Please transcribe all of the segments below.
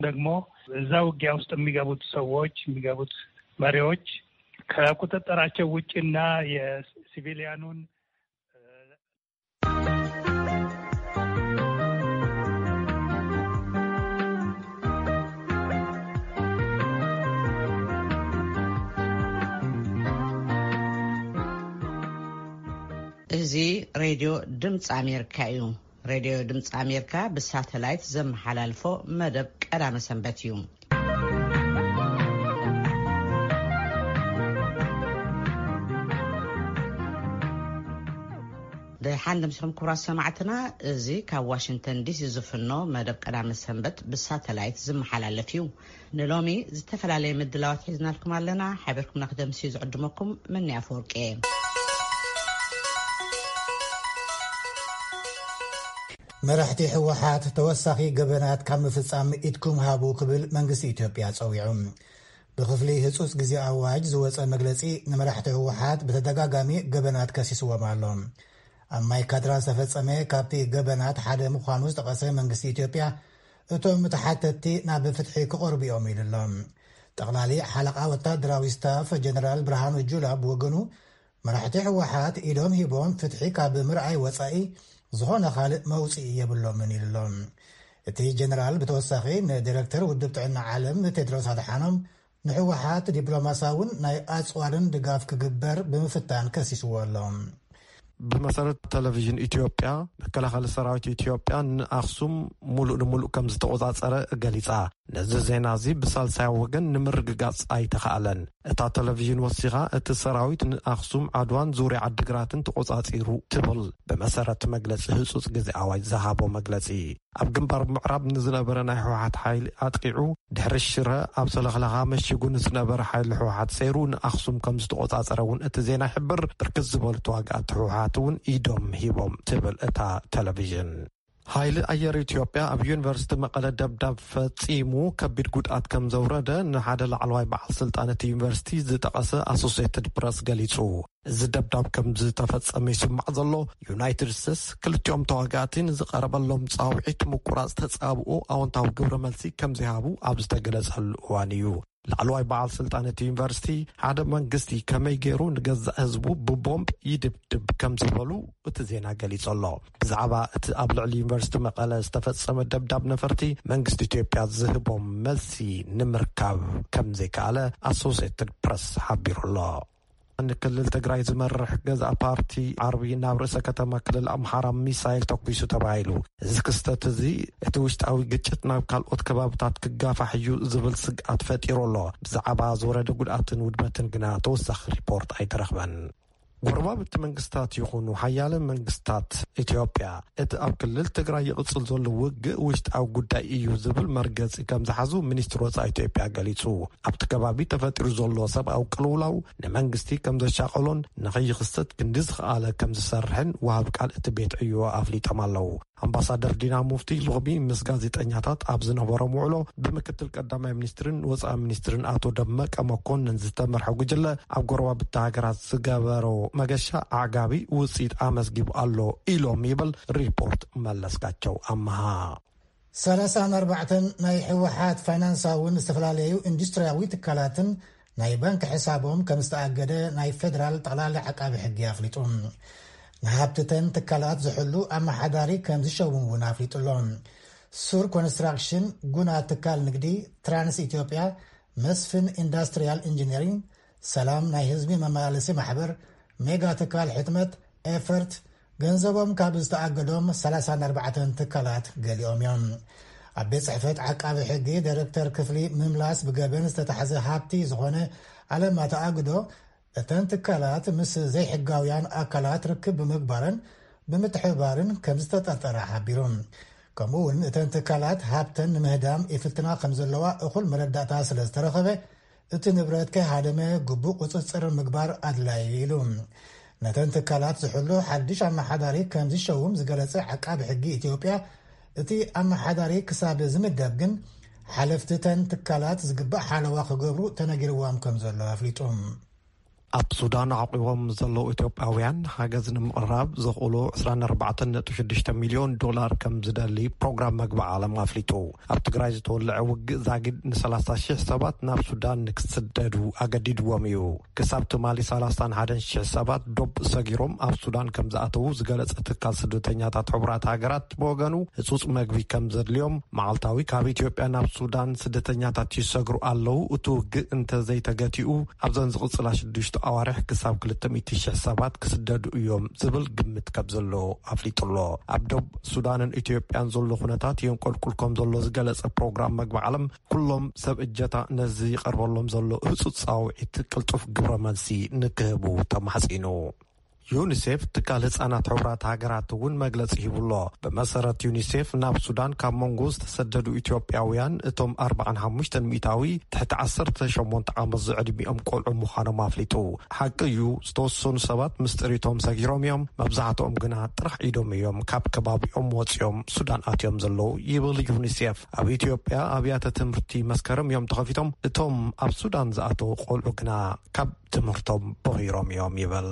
ደግሞ እዛ ውጊያ ውስጥ የሚገቡት ሰዎች፣ የሚገቡት መሪዎች ከቁጥጥራቸው ውጭና የሲቪሊያኑን እዚ ሬድዮ ድምፂ ኣሜሪካ እዩ። ሬድዮ ድምፂ ኣሜሪካ ብሳተላይት ዘመሓላልፎ መደብ ቀዳመ ሰንበት እዩ። ደሓን ደምሲኹም ክቡራት ሰማዕትና፣ እዚ ካብ ዋሽንግተን ዲሲ ዝፍኖ መደብ ቀዳመ ሰንበት ብሳተላይት ዝመሓላለፍ እዩ። ንሎሚ ዝተፈላለየ ምድላዋት ሒዝናልኩም ኣለና። ሓቢርኩምና ክደምስዩ ዝዕድመኩም መኒ ኣፈወርቂ እየ። መራሕቲ ህወሓት ተወሳኺ ገበናት ካብ ምፍጻም ኢድኩም ሃቡ ክብል መንግስቲ ኢትዮጵያ ጸዊዑ። ብክፍሊ ህጹጽ ግዜ ኣዋጅ ዝወጸ መግለጺ፣ ንመራሕቲ ህወሓት ብተደጋጋሚ ገበናት ከሲስዎም ኣሎ። ኣብ ማይ ካድራ ዝተፈጸመ ካብቲ ገበናት ሓደ ምዃኑ ዝጠቐሰ መንግስቲ ኢትዮጵያ፣ እቶም ተሓተትቲ ናብ ፍትሒ ክቐርቡ እዮም ኢሉ ኣሎ። ጠቕላሊ ሓለቓ ወታደራዊ ስታፍ ጀነራል ብርሃኑ ጁላ ብወገኑ፣ መራሕቲ ህወሓት ኢዶም ሂቦም ፍትሒ ካብ ምርኣይ ወጻኢ ዝኾነ ካልእ መውጽኢ የብሎምን ኢሉ ኣሎ። እቲ ጀነራል ብተወሳኺ ንዲረክተር ውድብ ጥዕና ዓለም ቴድሮስ ኣድሓኖም ንህወሓት ዲፕሎማሳውን ናይ ኣጽዋርን ድጋፍ ክግበር ብምፍታን ከሲስዎ ኣሎ። ብመሰረት ቴሌቪዥን ኢትዮጵያ፣ መከላኸሊ ሰራዊት ኢትዮጵያ ንኣኽሱም ሙሉእ ንሙሉእ ከም ዝተቆጻጸረ ገሊጻ። ነዚ ዜና እዚ ብሳልሳይ ወገን ንምርግጋጽ ኣይተኻእለን። እታ ቴሌቪዥን ወሲኻ፣ እቲ ሰራዊት ንኣኽሱም፣ ዓድዋን ዙርያ ዓድግራትን ተቆጻጺሩ ትብል። ብመሰረት መግለጺ ህጹጽ ግዜ ኣዋጅ ዝሃቦ መግለጺ፣ ኣብ ግንባር ምዕራብ ንዝነበረ ናይ ህወሓት ሓይሊ ኣጥቂዑ፣ ድሕሪ ሽረ ኣብ ሰለኽለኻ መሺጉ ንዝነበረ ሓይሊ ህወሓት ሰይሩ ንኣኽሱም ከም ዝተቆጻጸረ እውን እቲ ዜና ይሕብር። ብርክት ዝበሉ ተዋጋእቲ ህወሓት እውን ኢዶም ሂቦም ትብል እታ ቴሌቪዥን። ሓይሊ ኣየር ኢትዮጵያ ኣብ ዩኒቨርሲቲ መቐለ ደብዳብ ፈጺሙ ከቢድ ጉድኣት ከም ዘውረደ ንሓደ ላዕለዋይ በዓል ስልጣን እቲ ዩኒቨርሲቲ ዝጠቐሰ ኣሶሴትድ ፕረስ ገሊጹ። እዚ ደብዳብ ከም ዝተፈጸመ ይስማዕ ዘሎ፣ ዩናይትድ ስቴትስ ክልቲኦም ተዋጋእቲ ንዝቐረበሎም ጻውዒት ምቁራጽ ተጻብኦ ኣወንታዊ ግብረ መልሲ ከም ዘይሃቡ ኣብ ዝተገለጸሉ እዋን እዩ። ላዕለዋይ በዓል ስልጣን እቲ ዩኒቨርሲቲ፣ ሓደ መንግስቲ ከመይ ገይሩ ንገዛእ ህዝቡ ብቦምብ ይድብድብ ከም ዝበሉ እቲ ዜና ገሊጹ ኣሎ። ብዛዕባ እቲ ኣብ ልዕሊ ዩኒቨርሲቲ መቐለ ዝተፈጸመ ደብዳብ ነፈርቲ፣ መንግስቲ ኢትዮጵያ ዝህቦም መልሲ ንምርካብ ከም ዘይከኣለ ኣሶሴትድ ፕረስ ሓቢሩ ኣሎ። ንክልል ትግራይ ዝመርሕ ገዛእ ፓርቲ ዓርቢ ናብ ርእሰ ከተማ ክልል ኣምሓራ ሚሳይል ተኩሱ ተባሂሉ። እዚ ክስተት እዚ እቲ ውሽጣዊ ግጭት ናብ ካልኦት ከባብታት ክጋፋሕ እዩ ዝብል ስግኣት ፈጢሩ ኣሎ። ብዛዕባ ዝወረደ ጉድኣትን ውድመትን ግና ተወሳኺ ሪፖርት ኣይተረኽበን። ጎረባብቲ መንግስታት ይኹኑ ሓያለ መንግስታት፣ ኢትዮጵያ እቲ ኣብ ክልል ትግራይ ይቕጽል ዘሎ ውግእ ውሽጣዊ ጉዳይ እዩ ዝብል መርገጺ ከም ዝሓዙ ሚኒስትሪ ወጻኢ ኢትዮጵያ ገሊጹ። ኣብቲ ከባቢ ተፈጢሩ ዘሎ ሰብኣዊ ቅልውላው ንመንግስቲ ከም ዘሻቐሎን ንኸይኽሰት ክንዲ ዝኸኣለ ከም ዝሰርሕን ወሃቢ ቃል እቲ ቤት ዕዮ ኣፍሊጦም ኣለዉ። ኣምባሳደር ዲና ሙፍቲ ሎሚ ምስ ጋዜጠኛታት ኣብ ዝነበሮም ውዕሎ፣ ብምክትል ቀዳማይ ሚኒስትርን ወጻኢ ሚኒስትርን ኣቶ ደመቀ መኮንን ዝተመርሐ ጉጅለ ኣብ ጎረባብቲ ሃገራት ዝገበሮ መገሻ ኣዕጋቢ ውጽኢት ኣመዝጊቡ ኣሎ ኢሎም ይብል ሪፖርት መለስካቸው ኣመሃ። ሰላሳን ኣርባዕተን ናይ ህወሓት ፋይናንሳውን ዝተፈላለዩ ኢንዱስትሪያዊ ትካላትን ናይ ባንክ ሕሳቦም ከም ዝተኣገደ ናይ ፌደራል ጠቕላሊ ዓቃቢ ሕጊ ኣፍሊጡ። ንሃብትተን ትካላት ዝሕሉ ኣመሓዳሪ ከም ዝሸውም እውን ኣፍሊጡ ኣሎ። ሱር ኮንስትራክሽን፣ ጉና ትካል ንግዲ፣ ትራንስ ኢትዮጵያ፣ መስፍን ኢንዳስትሪያል ኢንጂነሪንግ፣ ሰላም ናይ ህዝቢ መመላለሲ ማሕበር፣ ሜጋ ትካል ሕትመት፣ ኤፈርት፣ ገንዘቦም ካብ ዝተኣገዶም ሰላሳን ኣርባዕተን ትካላት ገሊኦም እዮም። ኣብ ቤት ጽሕፈት ዓቃቢ ሕጊ ዳይረክተር ክፍሊ ምምላስ ብገበን ዝተታሕዘ ሃብቲ ዝኾነ ኣለማ ተኣግዶ፣ እተን ትካላት ምስ ዘይሕጋውያን ኣካላት ርክብ ብምግባረን ብምትሕብባርን ከም ዝተጠርጠራ ሓቢሩ። ከምኡ እውን እተን ትካላት ሃብተን ንምህዳም ይፍትና ከም ዘለዋ እኹል መረዳእታ ስለ ዝተረኸበ፣ እቲ ንብረት ከይሃደመ ግቡእ ቁጽጽር ምግባር ኣድላዪ ኢሉ። ነተን ትካላት ዝሕሉ ሓድሽ ኣመሓዳሪ ከም ዝሸውም ዝገለጸ ዓቃቢ ሕጊ ኢትዮጵያ፣ እቲ ኣመሓዳሪ ክሳብ ዝምደብ ግን ሓለፍቲ እተን ትካላት ዝግባእ ሓለዋ ክገብሩ ተነጊርዎም ከም ዘሎ ኣፍሊጡ። ኣብ ሱዳን ዓቂቦም ዘለዉ ኢትዮጵያውያን ሓገዝ ንምቕራብ ዘኽእሉ ዕስራን ኣርባዕተን ነጥቢ ሽዱሽተ ሚልዮን ዶላር ከም ዝደሊ ፕሮግራም መግቢ ዓለም ኣፍሊጡ። ኣብ ትግራይ ዝተወለዐ ውግእ ዛጊድ ንሰላሳ ሽሕ ሰባት ናብ ሱዳን ንክስደዱ ኣገዲድዎም እዩ። ክሳብ ትማሊ ሰላሳን ሓደን ሽሕ ሰባት ዶብ ሰጊሮም ኣብ ሱዳን ከም ዝኣተዉ ዝገለጸ ትካል ስደተኛታት ሕቡራት ሃገራት ብወገኑ፣ ህጹጽ መግቢ ከም ዘድልዮም፣ መዓልታዊ ካብ ኢትዮጵያ ናብ ሱዳን ስደተኛታት ይሰግሩ ኣለዉ። እቲ ውግእ እንተዘይተገቲኡ፣ ኣብዘን ዝቕጽላ ሽዱሽተ ኣዋርሕ ክሳብ ክልተ ሚእቲ ሽሕ ሰባት ክስደዱ እዮም ዝብል ግምት ከም ዘሎ ኣፍሊጡ ኣሎ። ኣብ ዶብ ሱዳንን ኢትዮጵያን ዘሎ ኩነታት የንቆልቁል ከም ዘሎ ዝገለጸ ፕሮግራም መግቢ ዓለም፣ ኩሎም ሰብ እጀታ ነዚ ይቐርበሎም ዘሎ ህጹጽ ጻውዒት ቅልጡፍ ግብረ መልሲ ንክህቡ ተማሕጺኑ። ዩኒሴፍ፣ ትካል ህጻናት ሕቡራት ሃገራት፣ እውን መግለጺ ሂቡ ኣሎ። ብመሰረት ዩኒሴፍ፣ ናብ ሱዳን ካብ መንጎ ዝተሰደዱ ኢትዮጵያውያን እቶም ኣርባዓን ሓሙሽተን ሚእታዊ ትሕቲ ዓሰርተ ሸሞንተ ዓመት ዝዕድሚኦም ቆልዑ ምዃኖም ኣፍሊጡ። ሓቂ እዩ፣ ዝተወሰኑ ሰባት ምስ ጥሪቶም ሰጊሮም እዮም፣ መብዛሕትኦም ግና ጥራሕ ኢዶም እዮም ካብ ከባቢኦም ወጺኦም ሱዳን ኣትዮም ዘለዉ፣ ይብል ዩኒሴፍ። ኣብ ኢትዮጵያ ኣብያተ ትምህርቲ መስከረም እዮም ተኸፊቶም፣ እቶም ኣብ ሱዳን ዝኣተዉ ቆልዑ ግና ካብ ትምህርቶም ቦኺሮም እዮም፣ ይብል።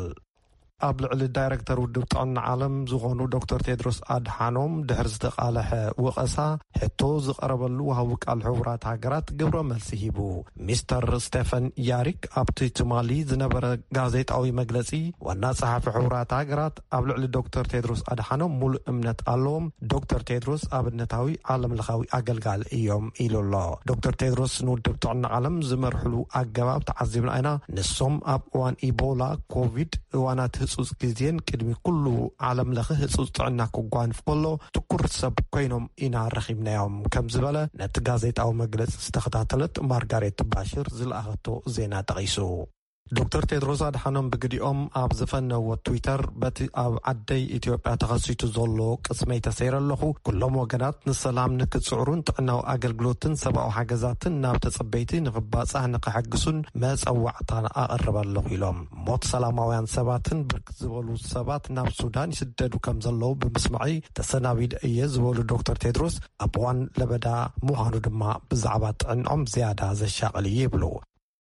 ኣብ ልዕሊ ዳይረክተር ውድብ ጥዕና ዓለም ዝኾኑ ዶክተር ቴድሮስ ኣድሓኖም ድሕሪ ዝተቓለሐ ወቐሳ፣ ሕቶ ዝቐረበሉ ወሃቢ ቃል ሕቡራት ሃገራት ግብረ መልሲ ሂቡ። ሚስተር ስቴፈን ያሪክ ኣብቲ ትማሊ ዝነበረ ጋዜጣዊ መግለጺ፣ ዋና ጸሓፊ ሕቡራት ሃገራት ኣብ ልዕሊ ዶክተር ቴድሮስ ኣድሓኖም ሙሉእ እምነት ኣለዎም፣ ዶክተር ቴድሮስ ኣብነታዊ ዓለም ለኻዊ ኣገልጋሊ እዮም ኢሉ ኣሎ። ዶክተር ቴድሮስ ንውድብ ጥዕና ዓለም ዝመርሕሉ ኣገባብ ተዓዚብና ኢና። ንሶም ኣብ እዋን ኢቦላ፣ ኮቪድ፣ እዋናት ህጹጽ ግዜን ቅድሚ ኩሉ ዓለም ለኸ ህጹጽ ጥዕና ክጓንፍ ከሎ ትኩር ሰብ ኮይኖም ኢና ረኺብናዮም ከም ዝበለ ነቲ ጋዜጣዊ መግለጺ ዝተኸታተለት ማርጋሬት ባሽር ዝለኣኸቶ ዜና ጠቒሱ። ዶክተር ቴድሮስ ኣድሓኖም ብግዲኦም ኣብ ዝፈነዎ ትዊተር፣ በቲ ኣብ ዓደይ ኢትዮጵያ ተኸሲቱ ዘሎ ቅስመይ ተሰይረ ኣለኹ። ኩሎም ወገናት ንሰላም ንክጽዕሩን ጥዕናዊ ኣገልግሎትን ሰብኣዊ ሓገዛትን ናብ ተጸበይቲ ንክባጻሕ ንክሕግሱን መጸዋዕታ ኣቕርብ ኣለኹ ኢሎም። ሞት ሰላማውያን ሰባትን ብርክት ዝበሉ ሰባት ናብ ሱዳን ይስደዱ ከም ዘለዉ ብምስማዕይ ተሰናቢደ እየ ዝበሉ ዶክተር ቴድሮስ፣ ኣብ እዋን ለበዳ ምዃኑ ድማ ብዛዕባ ጥዕንኦም ዝያዳ ዘሻቕል እዩ ይብሉ።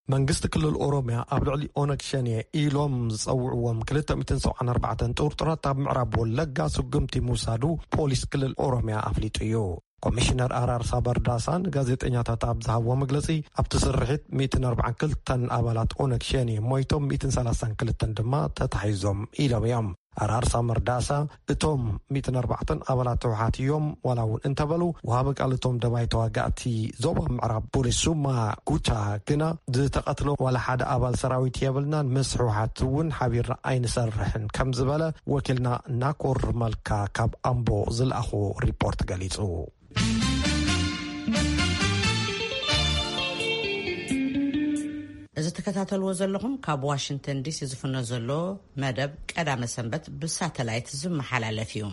መንግስቲ ክልል ኦሮሚያ ኣብ ልዕሊ ኦነግ ሸኔ ኢሎም ዝጸውዕዎም ክልተ ሚእትን ሰብዓን ኣርባዕተን ጥርጡራት ኣብ ምዕራብ ወለጋ ስጉምቲ ምውሳዱ ፖሊስ ክልል ኦሮሚያ ኣፍሊጡ እዩ። ኮሚሽነር ኣራርሳ በርዳሳ ንጋዜጠኛታት ኣብ ዝሃብዎ መግለጺ፣ ኣብቲ ስርሒት ሚእትን ኣርባዓን ክልተን ኣባላት ኦነግ ሸኔ ሞይቶም፣ ሚእትን ሰላሳን ክልተን ድማ ተታሒዞም ኢሎም እዮም። ኣራርሳ መርዳሳ፣ እቶም ሚእትን ኣርባዕተን ኣባላት ህወሓት እዮም፣ ዋላ እውን እንተበሉ፣ ወሃቢ ቃል እቶም ደባይ ተዋጋእቲ ዞባ ምዕራብ ፖሊስ ሱማ ጉቻ ግና፣ ዝተቐትለ ዋላ ሓደ ኣባል ሰራዊት የብልናን፣ ምስ ህወሓት እውን ሓቢርና ኣይንሰርሕን ከም ዝበለ ወኪልና ናኮር መልካ ካብ ኣምቦ ዝለኣኾ ሪፖርት ገሊጹ። እዚ ትከታተልዎ ዘለኹም ካብ ዋሽንግተን ዲሲ ዝፍኖ ዘሎ መደብ ቀዳመ ሰንበት ብሳተላይት ዝመሓላለፍ እዩ።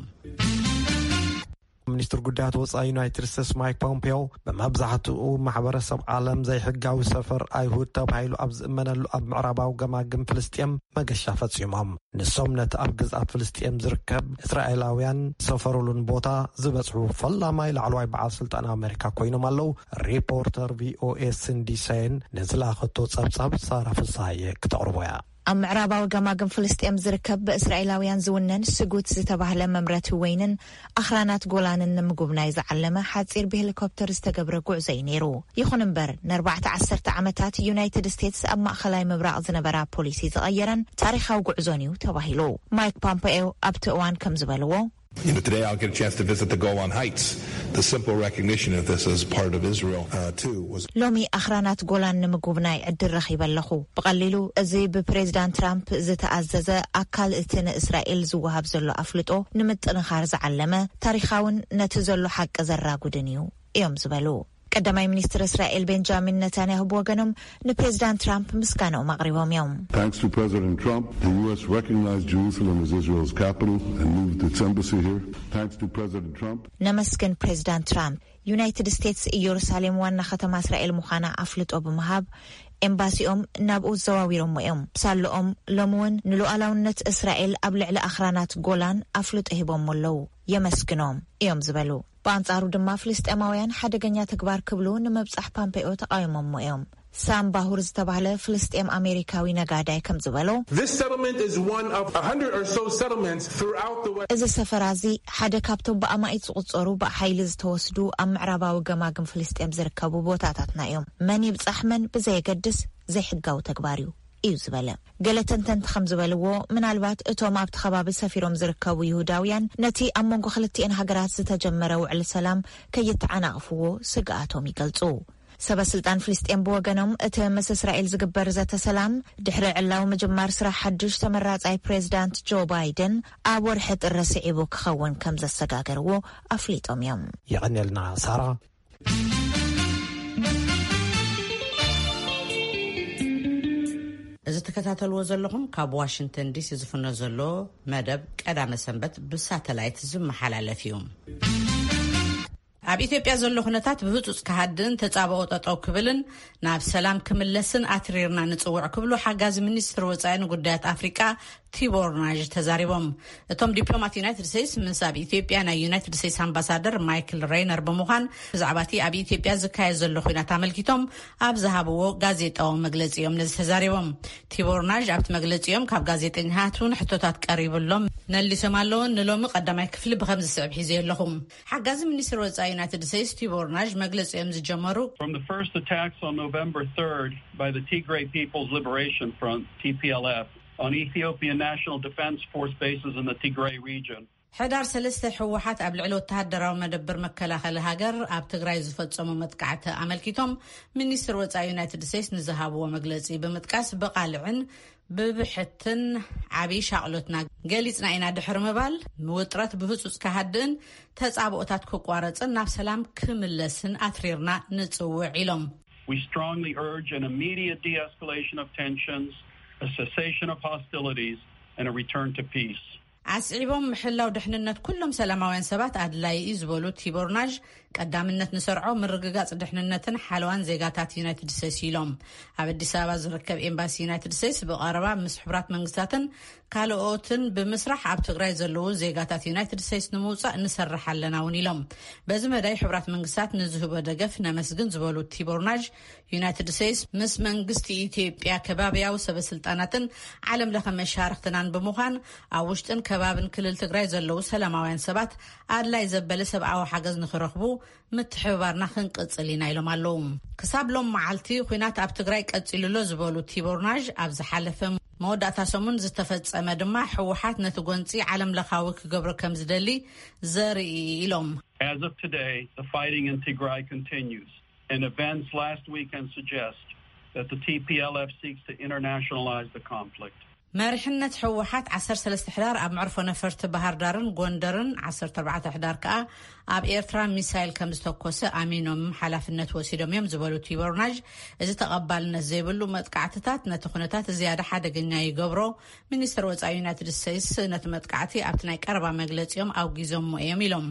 ሚኒስትር ጉዳያት ወጻኢ ዩናይትድ ስቴትስ ማይክ ፖምፔዮ፣ ብመብዛሕትኡ ማሕበረሰብ ዓለም ዘይሕጋዊ ሰፈር ኣይሁድ ተባሂሉ ኣብ ዝእመነሉ ኣብ ምዕራባዊ ገማግም ፍልስጤም መገሻ ፈጺሞም። ንሶም ነቲ ኣብ ግዝኣት ፍልስጤም ዝርከብ እስራኤላውያን ዝሰፈሩሉን ቦታ ዝበጽሑ ፈላማይ ላዕለዋይ በዓል ስልጣን ኣሜሪካ ኮይኖም ኣለዉ። ሪፖርተር ቪኦኤ ሲንዲ ሰይን ንዝላኸቶ ጸብጻብ ሳራ ፍሳሃየ ክተቕርቦ እያ። ኣብ ምዕራባዊ ገማግም ፍልስጤም ዝርከብ ብእስራኤላውያን ዝውነን ስጉት ዝተባህለ መምረቲ ወይንን ኣኽራናት ጎላንን ንምጉብናይ ዝዓለመ ሓጺር ብሄሊኮፕተር ዝተገብረ ጉዕዞ እዩ ነይሩ። ይኹን እምበር፣ ንኣርባዕተ ዓሰርተ ዓመታት ዩናይትድ ስቴትስ ኣብ ማእኸላይ ምብራቕ ዝነበራ ፖሊሲ ዝቐየረን ታሪኻዊ ጉዕዞን እዩ ተባሂሉ። ማይክ ፖምፔዮ ኣብቲ እዋን ከም ዝበልዎ፣ You know, today I'll get a chance to visit the Golan Heights. The simple recognition of this as part of Israel, uh, too, was ሎሚ ኣኽራናት ጎላን ንምጉብናይ ዕድል ረኺበ ኣለኹ። ብቐሊሉ፣ እዚ ብፕሬዚዳንት ትራምፕ ዝተኣዘዘ ኣካል እቲ ንእስራኤል ዝወሃብ ዘሎ ኣፍልጦ ንምጥንኻር ዝዓለመ፣ ታሪኻውን ነቲ ዘሎ ሓቂ ዘራጉድን እዩ፣ እዮም ዝበሉ። ቀዳማይ ሚኒስትር እስራኤል ቤንጃሚን ነታንያሁ ብወገኖም ንፕሬዚዳንት ትራምፕ ምስጋናኦም ኣቕሪቦም እዮም። Thanks to President Trump, the U S recognized Jerusalem as Israel's capital and moved its embassy here. Thanks to President Trump. ነመስግን ፕሬዚዳንት ትራምፕ። ዩናይትድ ስቴትስ ኢየሩሳሌም ዋና ከተማ እስራኤል ምዃና ኣፍልጦ ብምሃብ፣ ኤምባሲኦም ናብኡ ዘዋዊሮሞ እዮም። ሳልኦም ሎሚ እውን ንሉዓላውነት እስራኤል ኣብ ልዕሊ ኣኽራናት ጎላን ኣፍልጦ ሂቦሞ ኣለዉ። የመስግኖም እዮም ዝበሉ። ብኣንጻሩ ድማ ፍልስጤማውያን ሓደገኛ ተግባር ክብሉ ንምብጻሕ ፓምፔኦ ተቓዊሞሞ እዮም። ሳም ባሁር ዝተባህለ ፍልስጤም ኣሜሪካዊ ነጋዳይ ከም ዝበሎ፣ This settlement is one of a hundred or so settlements throughout the West. እዚ ሰፈራ እዚ ሓደ ካብቶም ብኣማኢት ዝቑጸሩ ብሓይሊ ዝተወስዱ ኣብ ምዕራባዊ ገማግም ፍልስጤም ዝርከቡ ቦታታትና እዮም። መን ይብጻሕ መን ብዘየገድስ ዘይሕጋዊ ተግባር እዩ እዩ ዝበለ። ገለ ተንተንቲ ከም ዝበልዎ፣ ምናልባት እቶም ኣብቲ ከባቢ ሰፊሮም ዝርከቡ ይሁዳውያን ነቲ ኣብ መንጎ ክልቲኤን ሃገራት ዝተጀመረ ውዕል ሰላም ከይተዓናቕፍዎ ስግኣቶም ይገልጹ። ሰበ ስልጣን ፍልስጤም ብወገኖም፣ እቲ ምስ እስራኤል ዝግበር ዘተ ሰላም ድሕሪ ዕላዊ ምጅማር ስራሕ ሓድሽ ተመራጻይ ፕሬዚዳንት ጆ ባይደን ኣብ ወርሒ ጥሪ ስዒቡ ክኸውን ከም ዘሰጋገርዎ ኣፍሊጦም እዮም። የቐንየልና ሳራ። እዚ ትከታተልዎ ዘለኹም ካብ ዋሽንግተን ዲሲ ዝፍኖ ዘሎ መደብ ቀዳመ ሰንበት ብሳተላይት ዝመሓላለፍ እዩ። ኣብ ኢትዮጵያ ዘሎ ኩነታት ብህጹጽ ክሃድእን ተጻብኦ ጠጠው ክብልን ናብ ሰላም ክምለስን ኣትሪርና ንጽውዕ ክብሉ ሓጋዚ ሚኒስትር ወጻኢ ንጉዳያት ኣፍሪቃ ቲቦር ናዥ ተዛሪቦም። እቶም ዲፕሎማት ዩናይትድ ስቴትስ ምስ ኣብ ኢትዮጵያ ናይ ዩናይትድ ስቴትስ ኣምባሳደር ማይክል ሬይነር ብምዃን ብዛዕባ እቲ ኣብ ኢትዮጵያ ዝካየድ ዘሎ ኩናት ኣመልኪቶም ኣብ ዝሃብዎ ጋዜጣዊ መግለጺ እዮም ነዚ ተዛሪቦም። ቲቦር ናዥ ኣብቲ መግለጺኦም ካብ ጋዜጠኛታት እውን ሕቶታት ቀሪብሎም መሊሶም ኣለውን። ንሎሚ ቀዳማይ ክፍሊ ብከም ዝስዕብ ሒዘ ኣለኹም። ሓጋዚ ሚኒስትር ወጻኢ ዩናይትድ ስቴትስ ቲቦር ናዥ መግለጺኦም ዝጀመሩ From the first attacks on November third by the Tigray People's Liberation Front, T P L F, on Ethiopian National Defense Force bases in the Tigray region. ሕዳር ሰለስተ ህወሓት ኣብ ልዕሊ ወተሃደራዊ መደብር መከላኸሊ ሃገር ኣብ ትግራይ ዝፈጸሙ መጥቃዕቲ ኣመልኪቶም ሚኒስትር ወጻኢ ዩናይትድ ስቴትስ ንዝሃብዎ መግለጺ ብምጥቃስ ብቓልዕን ብብሕትን ዓብዪ ሻቕሎትና ገሊጽና ኢና ድሕሪ ምባል ውጥረት ብህጹጽ ክሃድእን ተጻብኦታት ክቋረጽን ናብ ሰላም ክምለስን ኣትሪርና ንጽውዕ ኢሎም። We strongly urge an immediate de-escalation of tensions, a cessation of hostilities, and a return to peace. ኣስዒቦም ምሕላው ድሕንነት ኩሎም ሰላማውያን ሰባት ኣድላይ እዩ ዝበሉ ቲቦር ናዥ ቀዳምነት ንሰርዖ ምርግጋጽ ድሕንነትን ሓለዋን ዜጋታት ዩናይትድ ስቴትስ ኢሎም። ኣብ ኣዲስ ኣበባ ዝርከብ ኤምባሲ ዩናይትድ ስቴትስ ብቐረባ ምስ ሕቡራት መንግስታትን ካልኦትን ብምስራሕ ኣብ ትግራይ ዘለዉ ዜጋታት ዩናይትድ ስቴትስ ንምውጻእ ንሰርሕ ኣለና እውን ኢሎም። በዚ መዳይ ሕቡራት መንግስታት ንዝህቦ ደገፍ ነመስግን ዝበሉ ቲቦር ናዥ ዩናይትድ ስቴትስ ምስ መንግስቲ ኢትዮጵያ ከባብያዊ ሰበስልጣናትን ዓለም ለኸ መሻርክትናን ብምዃን ኣብ ውሽጥን ከባብን ክልል ትግራይ ዘለዉ ሰላማውያን ሰባት ኣድላይ ዘበለ ሰብኣዊ ሓገዝ ንኽረኽቡ ምትሕብባርና ክንቅጽል ኢና ኢሎም ኣለዉ። ክሳብ ሎም መዓልቲ ኲናት ኣብ ትግራይ ቀጺሉ ኣሎ ዝበሉ ቲቦር ናዥ ኣብ ዝሓለፈ መወዳእታ ሰሙን ዝተፈጸመ ድማ ህወሓት ነቲ ጎንጺ ዓለም ለኻዊ ክገብሮ ከም ዝደሊ ዘርኢ ኢሎም። As of today, the fighting in Tigray continues, and events last weekend suggest that the T P L F seeks to internationalize the conflict. መሪሕነት ህወሓት ዓሰርተ ሰለስተ ሕዳር ኣብ መዕርፎ ነፈርቲ ባህር ዳርን ጎንደርን ዓሰርተ ኣርባዕተ ሕዳር ከኣ ኣብ ኤርትራ ሚሳይል ከም ዝተኮሰ ኣሚኖም ሓላፍነት ወሲዶም እዮም ዝበሉ ቲቦር ናዥ፣ እዚ ተቐባልነት ዘይብሉ መጥቃዕትታት ነቲ ኩነታት ዝያዳ ሓደገኛ ይገብሮ። ሚኒስትር ወጻኢ ዩናይትድ ስቴትስ ነቲ መጥቃዕቲ ኣብቲ ናይ ቀረባ መግለጺኦም ኣውጊዞሞ እዮም ኢሎም።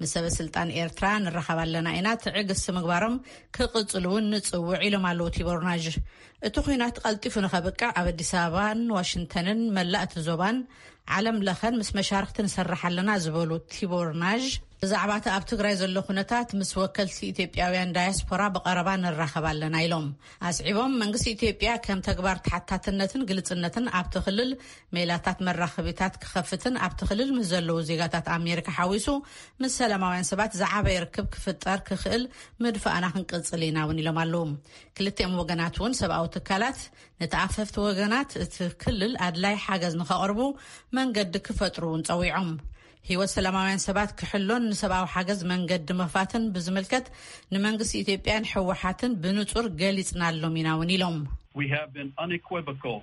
ምስ ሰበ ስልጣን ኤርትራ ንራኸብ ኣለና ኢና፣ ትዕግስቲ ምግባሮም ክቕጽሉ እውን ንጽውዕ ኢሎም ኣለዉ ቲቦር ናዥ። እቲ ኲናት ቀልጢፉ ንኸብቅዕ ኣብ ኣዲስ ኣበባን ዋሽንግተንን መላእ እቲ ዞባን ዓለም ለኸን ምስ መሻርክቲ ንሰርሕ ኣለና ዝበሉ ቲቦር ናዥ፣ ብዛዕባ እቲ ኣብ ትግራይ ዘሎ ኩነታት ምስ ወከልቲ ኢትዮጵያውያን ዳያስፖራ ብቐረባ ንራኸብ ኣለና ኢሎም። ኣስዒቦም መንግስቲ ኢትዮጵያ ከም ተግባር ተሓታትነትን ግልጽነትን ኣብቲ ክልል ሜላታት መራኸቢታት ክኸፍትን ኣብቲ ክልል ምስ ዘለዉ ዜጋታት ኣሜሪካ ሓዊሱ ምስ ሰላማውያን ሰባት ዝዓበየ ርክብ ክፍጠር ክኽእል ምድፋእና ክንቅጽል ኢና እውን ኢሎም ኣለዉ። ክልቲኦም ወገናት እውን ሰብኣዊ ትካላት ነቲ ኣፈፍቲ ወገናት እቲ ክልል ኣድላይ ሓገዝ ንኸቕርቡ መንገዲ ክፈጥሩ እውን ጸዊዖም። ህይወት ሰላማውያን ሰባት ክሕሎን ንሰብኣዊ ሓገዝ መንገዲ ምኽፋትን ብዝምልከት ንመንግስቲ ኢትዮጵያን ህወሓትን ብንጹር ገሊጽናሎም ኢና እውን ኢሎም። We have been unequivocal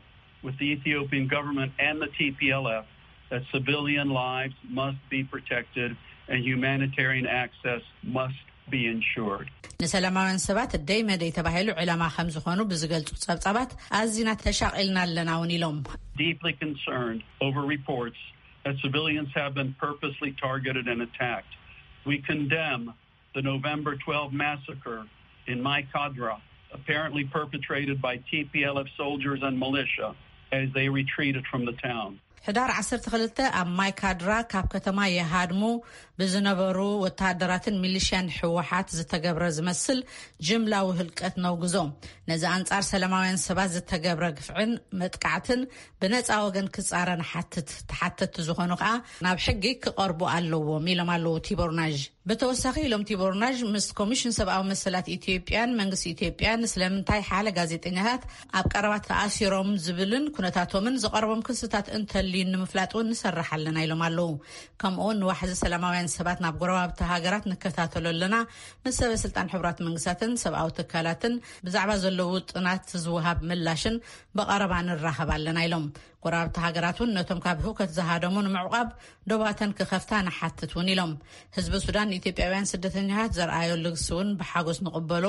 with the Ethiopian government and the T P L F that civilian lives must be protected and humanitarian access must be ensured. ንሰላማውያን ሰባት ደይ መደይ ተባሂሉ ዕላማ ከም ዝኾኑ ብዝገልጹ ጸብጻባት ኣዚና ተሻቒልና ኣለና እውን ኢሎም። Deeply concerned over reports that civilians have been purposely targeted and attacked. We condemn the November twelfth massacre in Mai Kadra, apparently perpetrated by T P L F soldiers and militia as they retreated from the town. ሕዳር ዓሰርተ ክልተ ኣብ ማይካድራ ካብ ከተማ የሃድሙ ብዝነበሩ ወተሃደራትን ሚሊሽያን ህወሓት ዝተገብረ ዝመስል ጅምላዊ ህልቀት ነውግዞ። ነዚ ኣንጻር ሰላማውያን ሰባት ዝተገብረ ግፍዕን መጥቃዕትን ብነጻ ወገን ክጻረ ንሓትት። ተሓተትቲ ዝኾኑ ከኣ ናብ ሕጊ ክቐርቡ ኣለዎም ኢሎም ኣለዉ ቲቦር ናዥ። ብተወሳኺ ኢሎም ቲቦር ናዥ፣ ምስ ኮሚሽን ሰብኣዊ መሰላት ኢትዮጵያን መንግስቲ ኢትዮጵያን ስለምንታይ ሓለ ጋዜጠኛታት ኣብ ቀረባ ተኣሲሮም ዝብልን ኩነታቶምን ዝቐረቦም ክስታት እንተልዩ ንምፍላጥ እውን ንሰርሕ ኣለና ኢሎም ኣለዉ። ከምኡ እውን ንዋሕዚ ሰላማውያን ሰባት ናብ ጎረባብቲ ሃገራት ንከታተሎ ኣለና። ምስ ሰበ ስልጣን ሕቡራት መንግስታትን ሰብኣዊ ትካላትን ብዛዕባ ዘለዉ ጥናት ዝወሃብ ምላሽን ብቐረባ ንራኸብ ኣለና ኢሎም። ጎረባብቲ ሃገራት እውን ነቶም ካብ ህውከት ዝሃደሙ ንምዕቋብ ዶባተን ክኸፍታ ንሓትት እውን ኢሎም። ህዝቢ ሱዳን ንኢትዮጵያውያን ስደተኛታት ዘርኣዮ ልግሲ እውን ብሓጎስ ንቕበሎ።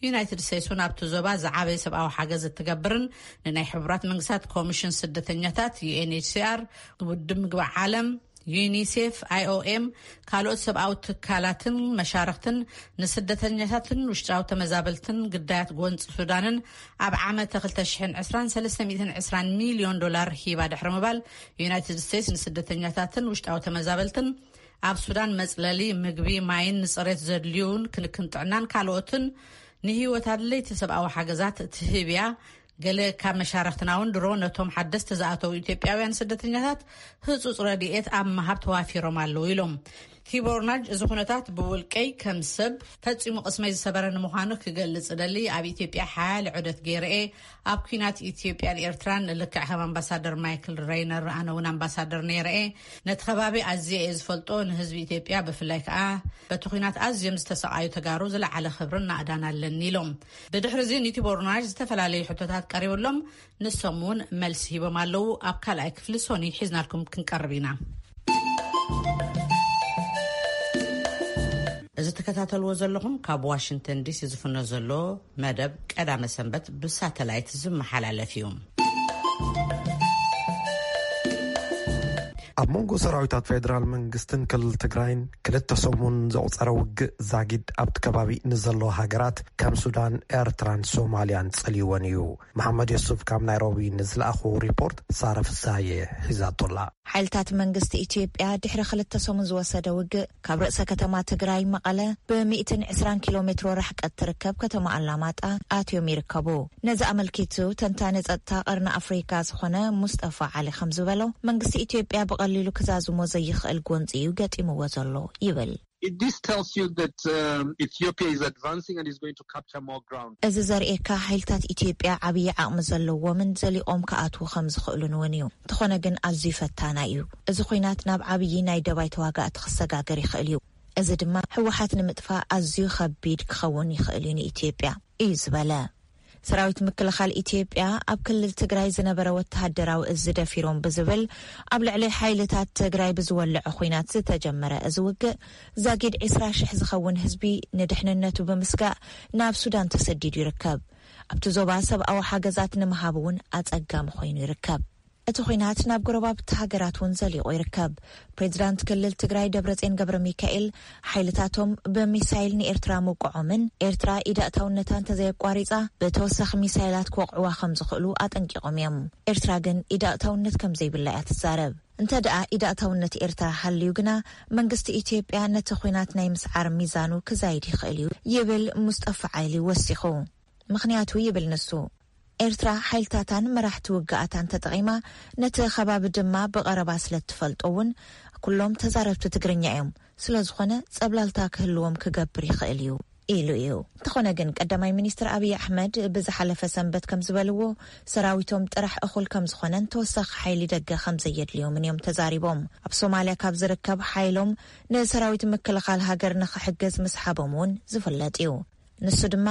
ዩናይትድ ስቴትስ እውን ኣብቲ ዞባ ዝዓበየ ሰብኣዊ ሓገዝ እትገብርን ንናይ ሕቡራት መንግስታት ኮሚሽን ስደተኛታት ዩኤንኤችሲኣር፣ ውድብ ምግቢ ዓለም፣ ዩኒሴፍ፣ ኣይኦኤም፣ ካልኦት ሰብኣዊ ትካላትን መሻርክትን ንስደተኛታትን ውሽጣዊ ተመዛበልትን ግዳያት ጎንፂ ሱዳንን ኣብ ዓመተ ክልተ ሽሕን ዕስራን ሰለስተ ሚእትን ዕስራን ሚልዮን ዶላር ሂባ ድሕሪ ምባል፣ ዩናይትድ ስቴትስ ንስደተኛታትን ውሽጣዊ ተመዛበልትን ኣብ ሱዳን መጽለሊ፣ ምግቢ፣ ማይን ንጽሬት ዘድልዩን ክንክን ጥዕናን ካልኦትን ንህይወት ኣድለይቲ ሰብኣዊ ሓገዛት ትህብ እያ። ገለ ካብ መሻርክትና እውን ድሮ ነቶም ሓደስቲ ዝኣተዉ ኢትዮጵያውያን ስደተኛታት ህጹጽ ረድኤት ኣብ ምሃብ ተዋፊሮም ኣለዉ ኢሎም። ቲቦር ናጅ፣ እዚ ኩነታት ብውልቀይ ከም ሰብ ፈጺሙ ቅስመይ ዝሰበረ ንምዃኑ ክገልጽ እደሊ። ኣብ ኢትዮጵያ ሓያል ዑደት ገይረ እየ። ኣብ ኲናት ኢትዮጵያን ኤርትራን ልክዕ ከም ኣምባሳደር ማይክል ሬይነር ኣነ እውን ኣምባሳደር ነይረ እየ። ነቲ ከባቢ ኣዝየ እየ ዝፈልጦ። ንህዝቢ ኢትዮጵያ ብፍላይ ከኣ በቲ ኲናት ኣዝዮም ዝተሰቓዩ ተጋሩ ዝለዓለ ክብርን ናእዳን ኣለኒ ኢሎም። ብድሕሪ እዚ ንቲቦር ናጅ ዝተፈላለዩ ሕቶታት ቀሪብሎም፣ ንሶም እውን መልሲ ሂቦም ኣለዉ። ኣብ ካልኣይ ክፍሊ ሶኒ ሒዝናልኩም ክንቀርብ ኢና። እዚ ትከታተልዎ ዘለኹም ካብ ዋሽንግተን ዲሲ ዝፍኖ ዘሎ መደብ ቀዳመ ሰንበት ብሳተላይት ዝመሓላለፍ እዩ። ኣብ መንጎ ሰራዊታት ፌደራል መንግስትን ክልል ትግራይን ክልተ ሰሙን ዘቑጸረ ውግእ ዛጊድ ኣብቲ ከባቢ ንዘለዋ ሃገራት ከም ሱዳን፣ ኤርትራን ሶማልያን ጸልይወን እዩ። መሓመድ የሱፍ ካብ ናይሮቢ ንዝለኣኹ ሪፖርት ሳረ ፍሳየ ሒዛቶላ። ሓይልታት መንግስቲ ኢትዮጵያ ድሕሪ ክልተ ሰሙን ዝወሰደ ውግእ ካብ ርእሰ ከተማ ትግራይ መቐለ ብሚእትን ዕስራን ኪሎ ሜትሮ ርሕቀት ትርከብ ከተማ ኣላማጣ ኣትዮም ይርከቡ። ነዚ ኣመልኪቱ ተንታኒ ጸጥታ ቀርኒ ኣፍሪካ ዝኾነ ሙስጠፋ ዓሊ ከም ዝበሎ መንግስቲ ኢትዮጵያ ብቐሊሉ ክዛዝሞ ዘይኽእል ጎንፂ እዩ ገጢምዎ ዘሎ ይብል። This tells you that um, Ethiopia is advancing and is going to capture more ground. እዚ ዘርእየካ ሓይልታት ኢትዮጵያ ዓብዪ ዓቕሚ ዘለዎምን ዘሊቖም ክኣትዉ ከም ዝኽእሉን እውን እዩ። እንተኾነ ግን ኣዝዩ ፈታና እዩ። እዚ ኹናት ናብ ዓብዪ ናይ ደባይ ተዋጋእቲ ክሰጋገር ይኽእል እዩ። እዚ ድማ ህወሓት ንምጥፋእ ኣዝዩ ከቢድ ክኸውን ይኽእል እዩ ንኢትዮጵያ እዩ ዝበለ። ሰራዊት ምክልኻል ኢትዮጵያ ኣብ ክልል ትግራይ ዝነበረ ወተሃደራዊ እዚ ደፊሮም ብዝብል ኣብ ልዕሊ ሓይልታት ትግራይ ብዝወለዐ ኹናት ዝተጀመረ እዚ ውግእ ዛጊድ ዕስራ ሽሕ ዝኸውን ህዝቢ ንድሕንነቱ ብምስጋእ ናብ ሱዳን ተሰዲዱ ይርከብ። ኣብቲ ዞባ ሰብኣዊ ሓገዛት ንምሃብ እውን ኣጸጋሚ ኮይኑ ይርከብ። እቲ ኹናት ናብ ጎረባብቲ ሃገራት እውን ዘሊቑ ይርከብ። ፕሬዚዳንት ክልል ትግራይ ደብረጽዮን ገብረ ሚካኤል ሓይልታቶም ብሚሳይል ንኤርትራ ምውቅዖምን ኤርትራ ኢዳእታውነታ እንተዘየቋሪጻ ብተወሳኺ ሚሳይላት ክወቕዕዋ ከም ዝኽእሉ ኣጠንቂቖም እዮም። ኤርትራ ግን ኢዳእታውነት ከም ዘይብላ እያ ትዛረብ። እንተ ደኣ ኢዳእታውነት ኤርትራ ሃልዩ ግና መንግስቲ ኢትዮጵያ ነቲ ኹናት ናይ ምስዓር ሚዛኑ ክዛይድ ይኽእል እዩ ይብል ሙስጠፋ ዓይሊ ወሲኹ። ምኽንያቱ ይብል ንሱ፣ ኤርትራ ሓይልታታን መራሕቲ ውግኣታን ተጠቒማ ነቲ ከባቢ ድማ ብቐረባ ስለ እትፈልጦ እውን ኩሎም ተዛረብቲ ትግርኛ እዮም። ስለ ዝኾነ ጸብላልታ ክህልዎም ክገብር ይኽእል እዩ ኢሉ እዩ። እንተኾነ ግን ቀዳማይ ሚኒስትር ኣብይ ኣሕመድ ብዝሓለፈ ሰንበት ከም ዝበልዎ ሰራዊቶም ጥራሕ እኹል ከም ዝኾነን ተወሳኺ ሓይሊ ደገ ከም ዘየድልዮምን እዮም ተዛሪቦም። ኣብ ሶማልያ ካብ ዝርከብ ሓይሎም ንሰራዊት ምክልኻል ሃገር ንኽሕግዝ ምስሓቦም እውን ዝፍለጥ እዩ። ንሱ ድማ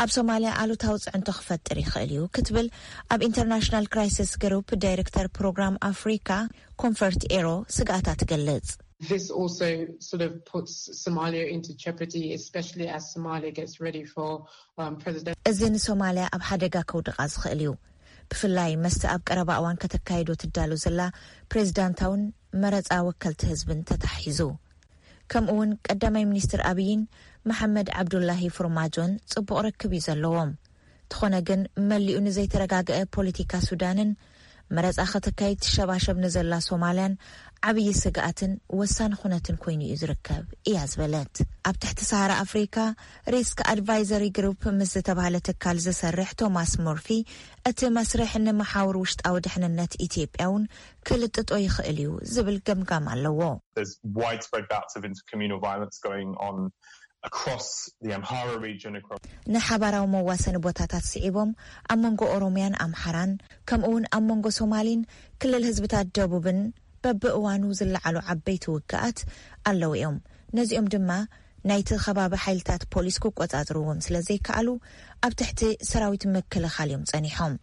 ኣብ ሶማልያ ኣሉታዊ ጽዕንቶ ክፈጥር ይኽእል እዩ ክትብል ኣብ ኢንተርናሽናል ክራይሲስ ግሩፕ ዳይሬክተር ፕሮግራም ኣፍሪካ ኮንፈርት ኤሮ ስግኣታ ትገልጽ። This also sort of puts Somalia into jeopardy, especially as Somalia gets ready for um, president. እዚ ንሶማልያ ኣብ ሓደጋ ከውድቓ ዝኽእል እዩ፣ ብፍላይ መስቲ ኣብ ቀረባ እዋን ከተካይዶ ትዳሎ ዘላ ፕሬዚዳንታውን መረፃ ወከልቲ ህዝብን ተታሒዙ። ከምኡ እውን ቀዳማይ ሚኒስትር ኣብይን መሓመድ ዓብዱላሂ ፎርማጆን ጽቡቕ ርክብ እዩ ዘለዎም። ተኾነ ግን መሊኡ ንዘይተረጋገአ ፖለቲካ ሱዳንን መረጻ ከተካይድ ትሸባሸብ ንዘላ ሶማልያን ዓብዪ ስግኣትን ወሳኒ ኩነትን ኮይኑ እዩ ዝርከብ እያ ዝበለት። ኣብ ትሕቲ ሰሃራ ኣፍሪካ ሪስክ ኣድቫይዘሪ ግሩፕ ምስ ዝተባህለ ትካል ዝሰርሕ ቶማስ ሞርፊ፣ እቲ መስርሕ ንመሓውር ውሽጣዊ ድሕንነት ኢትዮጵያ እውን ክልጥጦ ይኽእል እዩ ዝብል ገምጋም ኣለዎ። There's widespread bouts of intercommunal violence going on across the Amhara region, across ንሓባራዊ መዋሰኒ ቦታታት ስዒቦም ኣብ መንጎ ኦሮሚያን ኣምሓራን ከምኡ እውን ኣብ መንጎ ሶማሊን ክልል ህዝብታት ደቡብን በብእዋኑ ዝለዓሉ ዓበይቲ ውግኣት ኣለዉ እዮም። ነዚኦም ድማ ናይቲ ከባቢ ሓይልታት ፖሊስ ክቆጻጽርዎም ስለ ዘይከኣሉ ኣብ ትሕቲ ሰራዊት ምክልኻል እዮም ጸኒሖም።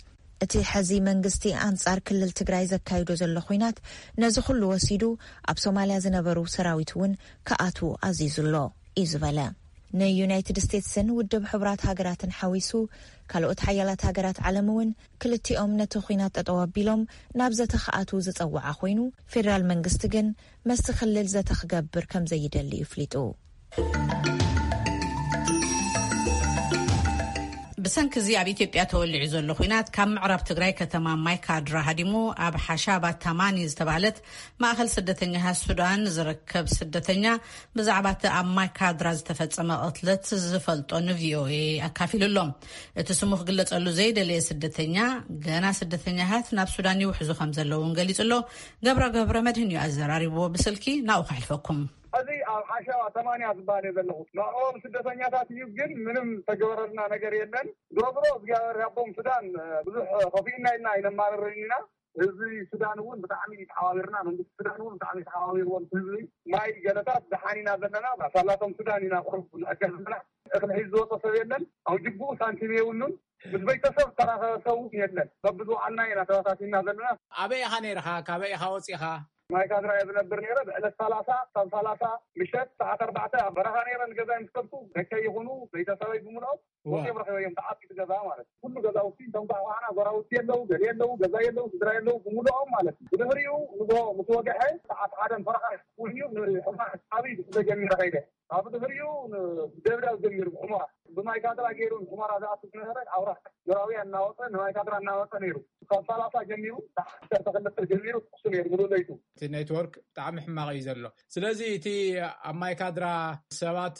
እቲ ሕዚ መንግስቲ ኣንጻር ክልል ትግራይ ዘካይዶ ዘሎ ኹናት ነዚ ኩሉ ወሲዱ ኣብ ሶማልያ ዝነበሩ ሰራዊት እውን ክኣትዉ ኣዚዙ ኣሎ እዩ ዝበለ። ንዩናይትድ ስቴትስን ውድብ ሕቡራት ሃገራትን ሓዊሱ ካልኦት ሓያላት ሃገራት ዓለም እውን ክልቲኦም ነቲ ኹናት ጠጠው ኣቢሎም ናብ ዘተ ክኣትዉ ዝጸውዓ ኮይኑ፣ ፌዴራል መንግስቲ ግን ምስቲ ክልል ዘተ ክገብር ከም ዘይደሊ እዩ ፍሊጡ። ብሰንኪ እዚ ኣብ ኢትዮጵያ ተወሊዑ ዘሎ ኹናት ካብ ምዕራብ ትግራይ ከተማ ማይካድራ ሃዲሙ ኣብ ሓሻባ ታማኒ ዝተባህለት ማእኸል ስደተኛታት ሱዳን ዝርከብ ስደተኛ ብዛዕባ እቲ ኣብ ማይካድራ ዝተፈጸመ ቅትለት ዝፈልጦ ንቪኦኤ ኣካፊሉ ኣሎ። እቲ ስሙ ክግለጸሉ ዘይደለየ ስደተኛ ገና ስደተኛታት ናብ ሱዳን ይውሕዙ ከም ዘለዉ እውን ገሊጹ ኣሎ። ገብረ ገብረ መድህን እዩ ኣዘራሪብዎ። ብስልኪ ናብኡ ከሕልፈኩም። እዚ ኣብ ሓሸዋ ተማንያ ዝበሃል እየ ዘለኹ። ንዕኦም ስደተኛታት እዩ፣ ግን ምንም ተገበረልና ነገር የለን። ዞሮ ዞሮ እግዚኣብሔር ያቦም ሱዳን ብዙሕ ከፊእና ኢልና ኣይነማርርን ኢና። ህዝቢ ሱዳን እውን ብጣዕሚ ተሓባቢርና፣ መንግስቲ ሱዳን እውን ብጣዕሚ ተሓባቢርዎም። ህዝቢ ማይ ገለታት ደሓን ኢና ዘለና፣ ሳላቶም ሱዳን ኢና ቁሩብ ንዕገብ ዘለና። እኽሊ ሒዙ ዝወፀ ሰብ የለን። ኣብ ጅቡኡ ሳንቲም የብሉን። ምስ ቤተሰብ ተራኸበ ሰብ እውን የለን። በብዝወዓልና ኢና ተበታቲንና ዘለና። ኣበይ ኢኻ ነይርኻ? ካበይ ኢኻ ወፂኻ? ማይ ካድራ እየ ዝነብር ነይረ። ብዕለት ሰላሳ፣ ሳብ ሰላሳ ምሸት ሰዓት ኣርባዕተ ኣብ በረኻ ነይረ። ንገዛይ ምስ ከድኩ ደቀይ ይኹኑ ቤተሰበይ ብምልኦም ወ- ወፂኦም ረኺበዮም። ተዓፂ ገዛ ማለት እዩ። ኩሉ ገዛውቲ፣ እቶም ኳዕኳዕና፣ ጎራውቲ የለዉ፣ ገለ የለዉ፣ ገዛ የለዉ፣ ስድራ የለዉ፣ ብምልኦም ማለት እዩ። ብድሕሪኡ ንጎ ምስ ወግሐ ሰዓት ሓደ ፈረቓ እውን እዩ። ንሑመራ ዓብዪ ተጀሚረ ከይደ። ኣብ ድሕሪኡ ደብዳብ ጀሚሩ። ሑመራ ብማይ ካድራ ገይሩ ሑመራ ዝኣቱ ዝነበረ ኣውራ ጆራውያ እናወፀ ንማይ ካድራ እናወፀ ነይሩ። ካብ ሰላሳ ጀሚሩ፣ ዓሰርተ ክልተ ጀሚሩ ትኩሱ ነይሩ ሙሉእ ለይቱ። እቲ ኔትወርክ ብጣዕሚ ሕማቕ እዩ ዘሎ። ስለዚ እቲ ኣብ ማይ ካድራ ሰባት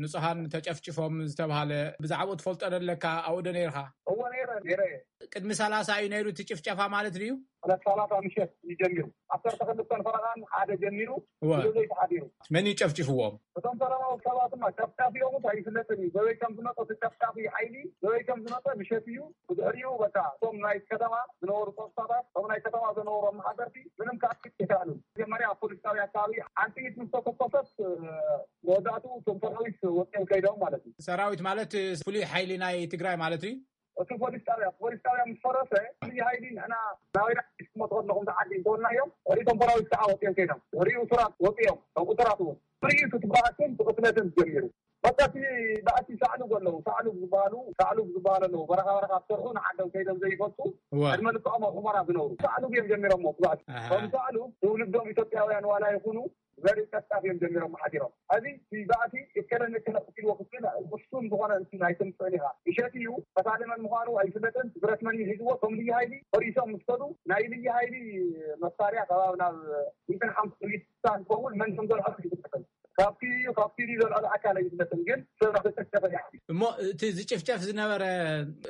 ንጹሃን ተጨፍጭፎም ዝተባሃለ ብዛዕባኡ ትፈልጦ ዶ ኣለካ? ኣብኡ ዶ ነይርካ? እወ፣ ነይረ፣ ነይረ እየ። ቅድሚ ሰላሳ እዩ ነይሩ እቲ ጭፍጨፋ ማለት ድዩ? ዕለት ሰላሳ ምሸት እዩ ጀሚሩ። ዓሰርተ ክልተን ፈረቓን ሓደ ጀሚሩ እወ። ሙሉእ ለይቲ ሓዲሩ። መን እዩ ጨፍጭፍዎም? እቶም ሰላማዊ ሰባት ድማ ጨፍጫፊኦም እንታይ ይፍለጥን እዩ። በበይ ከም ዝመጠ እቲ ጨፍጫፊ ሓይሊ በበይ ከም ዝመጠ ምሸት እዩ። ብድሕሪኡ በቃ እቶም ናይ ከተማ ዝነበሩ ጸጥታታት፣ እቶም ናይ ከተማ ዝነበሩ ኣመሓደርቲ ምንም ክኣክል ኣይከኣሉን። መጀመርያ ኣብ ፖሊስ ጣብያ ኣካባቢ ሓንቲ ኢድ ምስ ተተኮሰት፣ መወዳእቱ እቶም ሰራዊት ወፂኦም ከይዶም ማለት እዩ። ሰራዊት ማለት ፍሉይ ሓይሊ ናይ ትግራይ ማለት እዩ? እቲ ፖሊስ ጣብያ፣ ፖሊስ ጣብያ ምስ ፈረሰ፣ ፍሉይ ሓይሊ ንሕና ናበይ ዳ ትመፁ ከለኹም ተዓዲ እንተበልናዮም፣ እቶም ሰራዊት ከዓ ወፂኦም ከይዶም። ድሕሪኡ እሱራት ወፂኦም፣ ካብ እሱራት እውን። ትርኢት እቲ ባእስን እቲ ቅትለትን ጀሚሩ። በቃ እቲ ባእሲ ሳዕሉግ ኣለዉ፣ ሳዕሉግ ዝበሃሉ፣ ሳዕሉግ ዝበሃሉ ኣለዉ። በረኻ በረኻ ዝሰርሑ ንዓዶም ከይዶም ዘይፈልጡ፣ እወ። ዕድመ ልክዖም ኣብ ሑመራ ዝነብሩ። ሳዕሉግ እዮም ጀሚሮሞ እቲ ባእሲ። ኣሃ። ከም ሳዕሉግ ትውልዶም ኢትዮጵያውያን ዋላ ይኹኑ፣ ዘርኢ ጨፍጫፍ እዮም ጀሚሮም ሓዲሮም። ሕዚ እቲ ባእሲ እከለን እከለ ቀቲልዎ ክትብል ውሱን ዝኾነ እንትን ኣይተምፅእን ኢኻ። ምሸት እዩ፣ ቀታሊ መን ምዃኑ ኣይፍለጥን። ብረት መን እዩ ሒዝዎ? እቶም ልዩ ሃይሊ ፈሪሶም ምስ ከዱ፣ ናይ ልዩ ሃይሊ መሳርያ ከባቢ ናብ ሚእትን ሓምሳን ሊትር ዝኸውን መን ከም ዘልዐሎ ኣይፍለጥን። ካብቲ እዩ፣ ካብቲ ድዩ ዘልዐሎ ኣካል ኣይፍለጥን፣ ግን ሰብ እናተጨፍጨፈ እዩ። እሞ እቲ ዝጭፍጨፍ ዝነበረ፣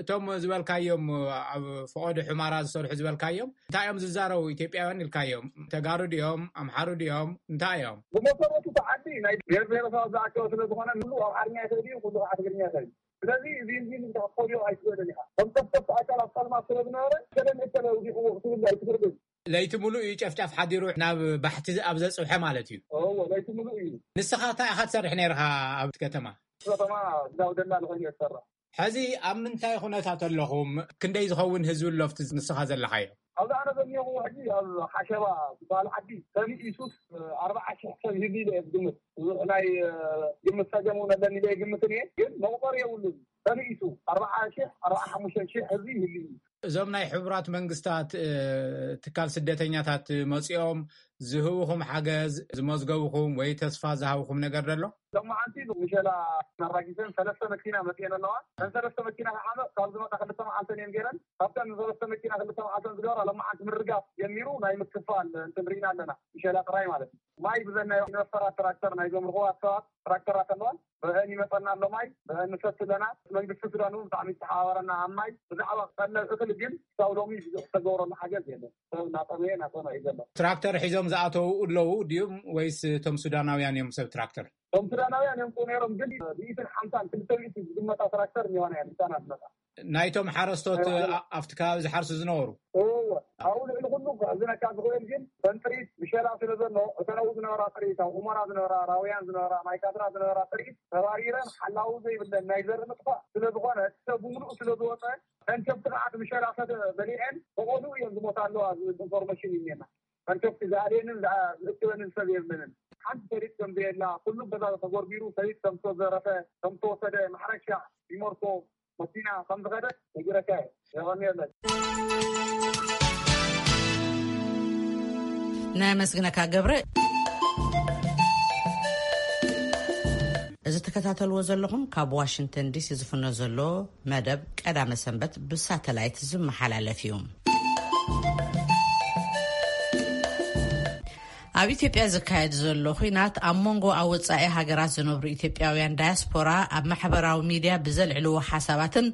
እቶም ዝበልካዮም፣ ኣብ ፈቐዶ ሑመራ ዝሰርሑ ዝበልካዮም፣ እንታይ እዮም ዝዛረቡ? ኢትዮጵያውያን ኢልካዮም፣ ተጋሩ ድዮም? ኣምሓሩ ድዮም? እንታይ እዮም? ብመሰረቱ እቲ ዓዲ ናይ ብሔር ብሔረሰባት ዝኣከበ ስለ ዝኾነ፣ ኩሉ ኣምሓርኛ ይኽእል እዩ፣ ኩሉ ከዓ ትግርኛ ይኽእል እዩ። ስለዚ እዚ፣ እዚ ንግዳ ክትፈልዮ ኣይትኽእልን ኢኻ። ከም ጨፍጨፍቲ ኣካል ኣብ ጸልማት ስለ ዝነበረ፣ እከለ ንእከለ ኣውዲቕዎ ክትብል ኣይትኽእልን። ለይቲ ሙሉእ እዩ ጨፍጫፍ ሓዲሩ ናብ ባሕቲ ኣብ ዘጽብሐ ማለት እዩ። እወ፣ ለይቲ ሙሉእ እዩ። ንስኻ እንታይ ኢኻ ትሰርሕ ነይርኻ ኣብቲ ከተማ? ከተማ እዛ ደላል ኮይነ እየ ዝሰርሕ። ሕዚ ኣብ ምንታይ ኩነታት ኣለኹም? ክንደይ ዝኸውን ህዝቢ ኣሎ ኣብቲ ንስኻ ዘለኻዮ? ኣብዚ ኣነ ዘኒሆኹ ሕጂ ኣብ ሓሸባ ዝበሃል ዓዲ ተንኢሱስ ኣርባዓ ሽሕ ሰብ ይህሉ ኢለ እየ ዝግምት። ብዙሕ ናይ፣ እ፣ ግምት ጸገም እውን ኣለኒ ኢለ ይግምትን እየ፣ ግን መቑጸሪ የብሉን። ተንኢሱ ኣርባዓ ሽሕ፣ ኣርባዓ ሓሙሽተ ሽሕ ህዝቢ ይህሉ እዩ። እዞም ናይ ሕቡራት መንግስታት ትካል ስደተኛታት መፂኦም ዝህብኹም ሓገዝ ዝመዝገቡኹም ወይ ተስፋ ዝሃብኹም ነገር ደሎ? ሎማዓንቲ ምሸላ ኣራጊፈን ሰለስተ መኪና መፅኤን ኣለዋ። እተን ሰለስተ መኪና ከዓ ካብ ዝመጣ ክልተ መዓልተን እየን ገይረን። ካብተን ሰለስተ መኪና ክልተ መዓልተን ዝገበራ ሎማዓንቲ ምርጋፍ ጀሚሩ ናይ ምክፋል እንትን ርኢና ኣለና። ምሸላ ጥራይ ማለት እዩ። ማይ ብዘናይ ኢንቨስተራት ትራክተር ናይ ዘምርኽዋ ሰባት ትራክተራት ኣለዋ። ብአን ይመፀና ኣሎ ማይ፣ ብአን ንሰቲ ኣለና። መንግስቲ ሱዳን እውን ብጣዕሚ ዝተሓባበረና ኣብ ማይ። ብዛዕባ ቀለብ እኽሊ ግን ክሳብ ሎሚ ብዙሕ ዝተገብረሉ ሓገዝ የለን። ሰብ እናጠመየ እናፀመ እዩ ዘሎ። ትራክተር ሒዞም ዝኣተው ኣለዉ ድዩም ወይስ እቶም ሱዳናውያን እዮም ሰብ ትራክተር? እቶም ሱዳናውያን እዮም ነይሮም፣ ግን ብኢትን ሓምሳን ክልተ ሚእቲ ዝግመታ ትራክተር እኒዋና እያ ምሳና ዝመጣ። ናይቶም ሓረስቶት ኣብቲ ከባቢ ዝሓርሱ ዝነበሩ? ኣብኡ ልዕሊ ኩሉ ክሕዝነካ ዝኽእል ግን በንጥሪት ምሸላ ስለ ዘሎ፣ እተን ኣብኡ ዝነበራ ጥሪት፣ ኣብ ኡመራ ዝነበራ፣ ራውያን ዝነበራ፣ ማይካድራ ዝነበራ ጥሪት ተባሪረን ሓላዊ ዘይብለን ናይ ዘርኢ ምጥፋእ ስለ ዝኾነ፣ ሰብ ብምሉእ ስለ ዝወፀ፣ መንሸፍቲ ከዓ እቲ ምሸላ ሰተ በሊዐን ብቐድኡ እየን ዝሞታ ኣለዋ ዝብል ኢንፎርሜሽን እዩ እኒኤና። መንሸፍቲ ዝኣልየንን ዝእክበንን ሰብ የብለንን። ሓንቲ ሰሊጥ ከም ዘየላ፣ ኩሉ ገዛ ተጎርቢሩ፣ ሰሊጥ ከም ዝተዘረፈ፣ ከም ዝተወሰደ፣ ማሕረሻ፣ ቢሞርኮ፣ መኪና ከም ዝኸደ ነጊረካ እየ። የቐንየለይ። ነመስግነካ ገብረ። እዚ ትከታተልዎ ዘለኹም ካብ ዋሽንግተን ዲሲ ዝፍኖ ዘሎ መደብ ቀዳመ ሰንበት ብሳተላይት ዝመሓላለፍ እዩ። ኣብ ኢትዮጵያ ዝካየድ ዘሎ ኹናት ኣብ መንጎ ኣብ ወጻኢ ሃገራት ዝነብሩ ኢትዮጵያውያን ዳያስፖራ ኣብ ማሕበራዊ ሚድያ ብዘልዕልዎ ሓሳባትን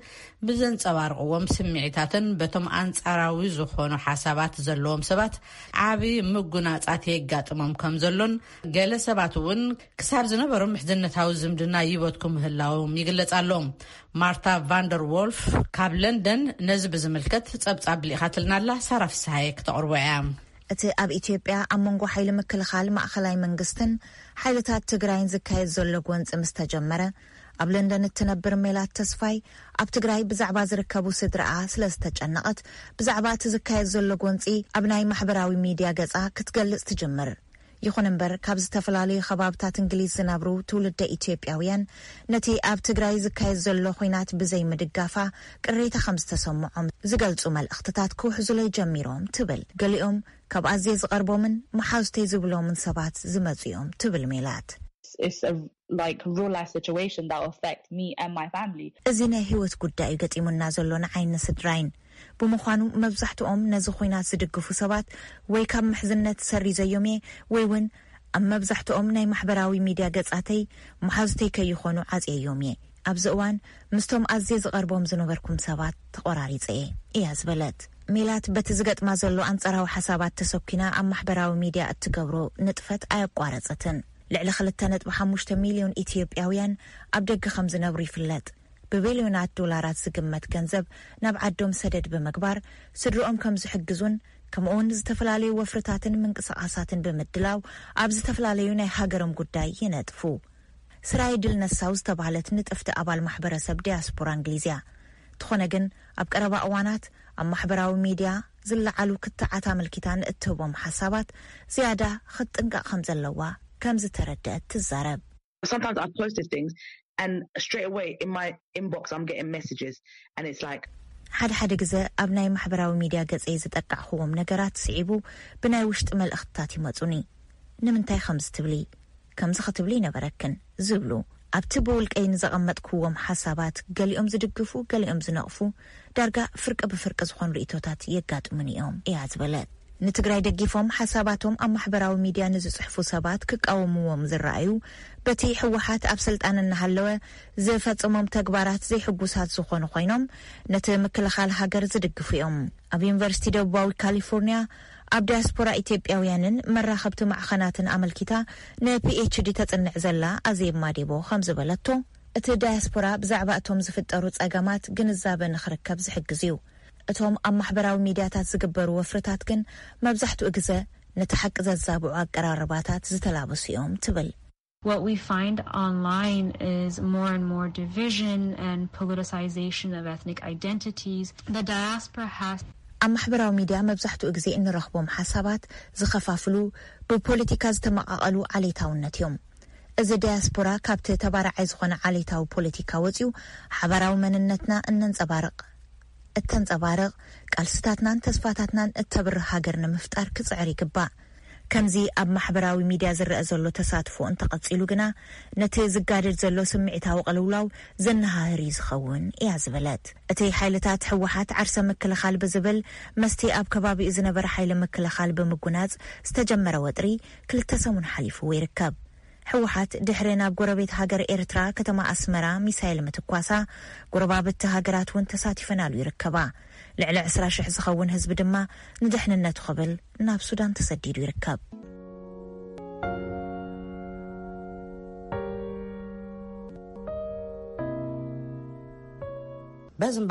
ብዘንጸባርቕዎም ስምዒታትን በቶም ኣንጻራዊ ዝኾኑ ሓሳባት ዘለዎም ሰባት ዓቢ ምጉናጻት የጋጥሞም ከም ዘሎን ገለ ሰባት እውን ክሳብ ዝነበሮም ምሕዝነታዊ ዝምድና ይበትኩ ምህላዎም ይግለጽ ኣሎ። ማርታ ቫንደር ዎልፍ ካብ ለንደን ነዚ ብዝምልከት ጸብጻብ ልኢኻትልና ኣላ። ሳራ ፍስሃየ ክተቕርቦ እያ። እቲ ኣብ ኢትዮጵያ ኣብ መንጎ ሓይሊ ምክልኻል ማእኸላይ መንግስትን ሓይልታት ትግራይን ዝካየድ ዘሎ ጎንፂ ምስ ተጀመረ፣ ኣብ ለንደን እትነብር ሜላት ተስፋይ ኣብ ትግራይ ብዛዕባ ዝርከቡ ስድራኣ ስለ ዝተጨነቐት፣ ብዛዕባ እቲ ዝካየድ ዘሎ ጎንፂ ኣብ ናይ ማሕበራዊ ሚድያ ገፃ ክትገልፅ ትጅምር። ይኹን እምበር፣ ካብ ዝተፈላለዩ ከባብታት እንግሊዝ ዝነብሩ ትውልደ ኢትዮጵያውያን ነቲ ኣብ ትግራይ ዝካየድ ዘሎ ኹናት ብዘይ ምድጋፋ ቅሬታ ከም ዝተሰምዖም ዝገልጹ መልእኽትታት ክውሕዙለይ ጀሚሮም ትብል። ገሊኦም ካብ ኣዝየ ዝቐርቦምን መሓዙተይ ዝብሎምን ሰባት ዝመጹ እዮም ትብል ሜላት። It's a, like, real life situation that will affect me and my family. እዚ ናይ ህይወት ጉዳይ እዩ ገጢሙና ዘሎ ንዓይን ንስድራይን። ብምዃኑ መብዛሕትኦም ነዚ ኹናት ዝድግፉ ሰባት ወይ ካብ ምሕዝነት ሰሪዘዮም እየ ወይ እውን ኣብ መብዛሕትኦም ናይ ማሕበራዊ ሚድያ ገጻተይ መሓዙተይ ከይኾኑ ዓጽየዮም እየ። ኣብዚ እዋን ምስቶም ኣዝየ ዝቐርቦም ዝነበርኩም ሰባት ተቖራሪጸ እየ እያ ዝበለት። ሜላት በቲ ዝገጥማ ዘሎ ኣንጻራዊ ሓሳባት ተሰኪና ኣብ ማሕበራዊ ሚድያ እትገብሮ ንጥፈት ኣየቋረጸትን። ልዕሊ ክልተ ነጥቢ ሓሙሽተ ሚልዮን ኢትዮጵያውያን ኣብ ደገ ከም ዝነብሩ ይፍለጥ። ብቢልዮናት ዶላራት ዝግመት ገንዘብ ናብ ዓዶም ሰደድ ብምግባር ስድርኦም ከም ዝሕግዙን ከምኡውን ዝተፈላለዩ ወፍርታትን ምንቅስቓሳትን ብምድላው ኣብ ዝተፈላለዩ ናይ ሃገሮም ጉዳይ ይነጥፉ። ስራይ ድል ነሳው ዝተባህለት ንጥፍቲ ኣባል ማሕበረሰብ ዲያስፖራ እንግሊዝ እያ። እንተኾነ ግን ኣብ ቀረባ እዋናት ኣብ ማሕበራዊ ሚድያ ዝለዓሉ ክትዓት ኣመልኪታ ንእትህቦም ሓሳባት ዝያዳ ክትጥንቀቕ ከም ዘለዋ ከም ዝተረደአት ትዛረብ። Sometimes I post these things and straight away in my inbox I'm getting messages and it's like ሓደ ሓደ ግዘ ኣብ ናይ ማሕበራዊ ሚድያ ገፀይ ዝጠቃዕኽዎም ነገራት ስዒቡ ብናይ ውሽጢ መልእኽትታት ይመፁኒ። ንምንታይ ከምዚ ትብሊ? ከምዚ ክትብሊ ይነበረክን ዝብሉ ኣብቲ ብውልቀይ ንዘቐመጥክዎም ሓሳባት ገሊኦም ዝድግፉ ገሊኦም ዝነቕፉ ዳርጋ ፍርቂ ብፍርቂ ዝኾኑ ርእቶታት የጋጥሙኒ እዮም እያ ዝበለት። ንትግራይ ደጊፎም ሓሳባቶም ኣብ ማሕበራዊ ሚድያ ንዝፅሕፉ ሰባት ክቃወምዎም ዝረኣዩ በቲ ህወሓት ኣብ ስልጣን እናሃለወ ዝፈፀሞም ተግባራት ዘይሕጉሳት ዝኾኑ ኮይኖም ነቲ ምክልኻል ሃገር ዝድግፉ እዮም። ኣብ ዩኒቨርሲቲ ደቡባዊ ካሊፎርኒያ ኣብ ዲያስፖራ ኢትዮጵያውያንን መራኸብቲ ማዕኸናትን ኣመልኪታ ንፒኤችዲ ተፅንዕ ዘላ ኣዜብ ማዴቦ ከም ዝበለቶ፣ እቲ ዳያስፖራ ብዛዕባ እቶም ዝፍጠሩ ጸገማት ግንዛበ ንኽርከብ ዝሕግዝ እዩ። እቶም ኣብ ማሕበራዊ ሚድያታት ዝግበሩ ወፍርታት ግን መብዛሕትኡ ግዘ ነቲ ሓቂ ዘዛብዑ ኣቀራርባታት ዝተላበሱ እዮም ትብል። What we find online is more and more division and politicization of ethnic identities. The diaspora has ኣብ ማሕበራዊ ሚድያ መብዛሕትኡ ግዜ እንረኽቦም ሓሳባት ዝኸፋፍሉ፣ ብፖለቲካ ዝተመቓቐሉ ዓሌታውነት እዮም። እዚ ዳያስፖራ ካብቲ ተባራዓይ ዝኾነ ዓሌታዊ ፖለቲካ ወጺኡ ሓባራዊ መንነትና እነንጸባርቕ እተንጸባርቕ፣ ቃልስታትናን ተስፋታትናን እተብርህ ሃገር ንምፍጣር ክጽዕር ይግባእ። ከምዚ ኣብ ማሕበራዊ ሚድያ ዝረአ ዘሎ ተሳትፎ እንተቐጺሉ ግና፣ ነቲ ዝጋደድ ዘሎ ስምዒታዊ ቅልውላው ዘነሃህር እዩ ዝኸውን እያ ዝበለት። እቲ ሓይልታት ህወሓት ዓርሰ ምክልኻል ብዝብል፣ መስቲ ኣብ ከባቢኡ ዝነበረ ሓይሊ ምክልኻል ብምጉናጽ ዝተጀመረ ወጥሪ ክልተ ሰሙን ሓሊፍዎ ይርከብ። ህወሓት ድሕሪ ናብ ጎረቤት ሃገር ኤርትራ ከተማ ኣስመራ ሚሳይል ምትኳሳ፣ ጎረባብቲ ሃገራት እውን ተሳቲፈናሉ ይርከባ። ልዕሊ ዕስራ ሽሕ ዝኸውን ህዝቢ ድማ ንድሕንነቱ ክብል ናብ ሱዳን ተሰዲዱ ይርከብ። በዚ እምበኣር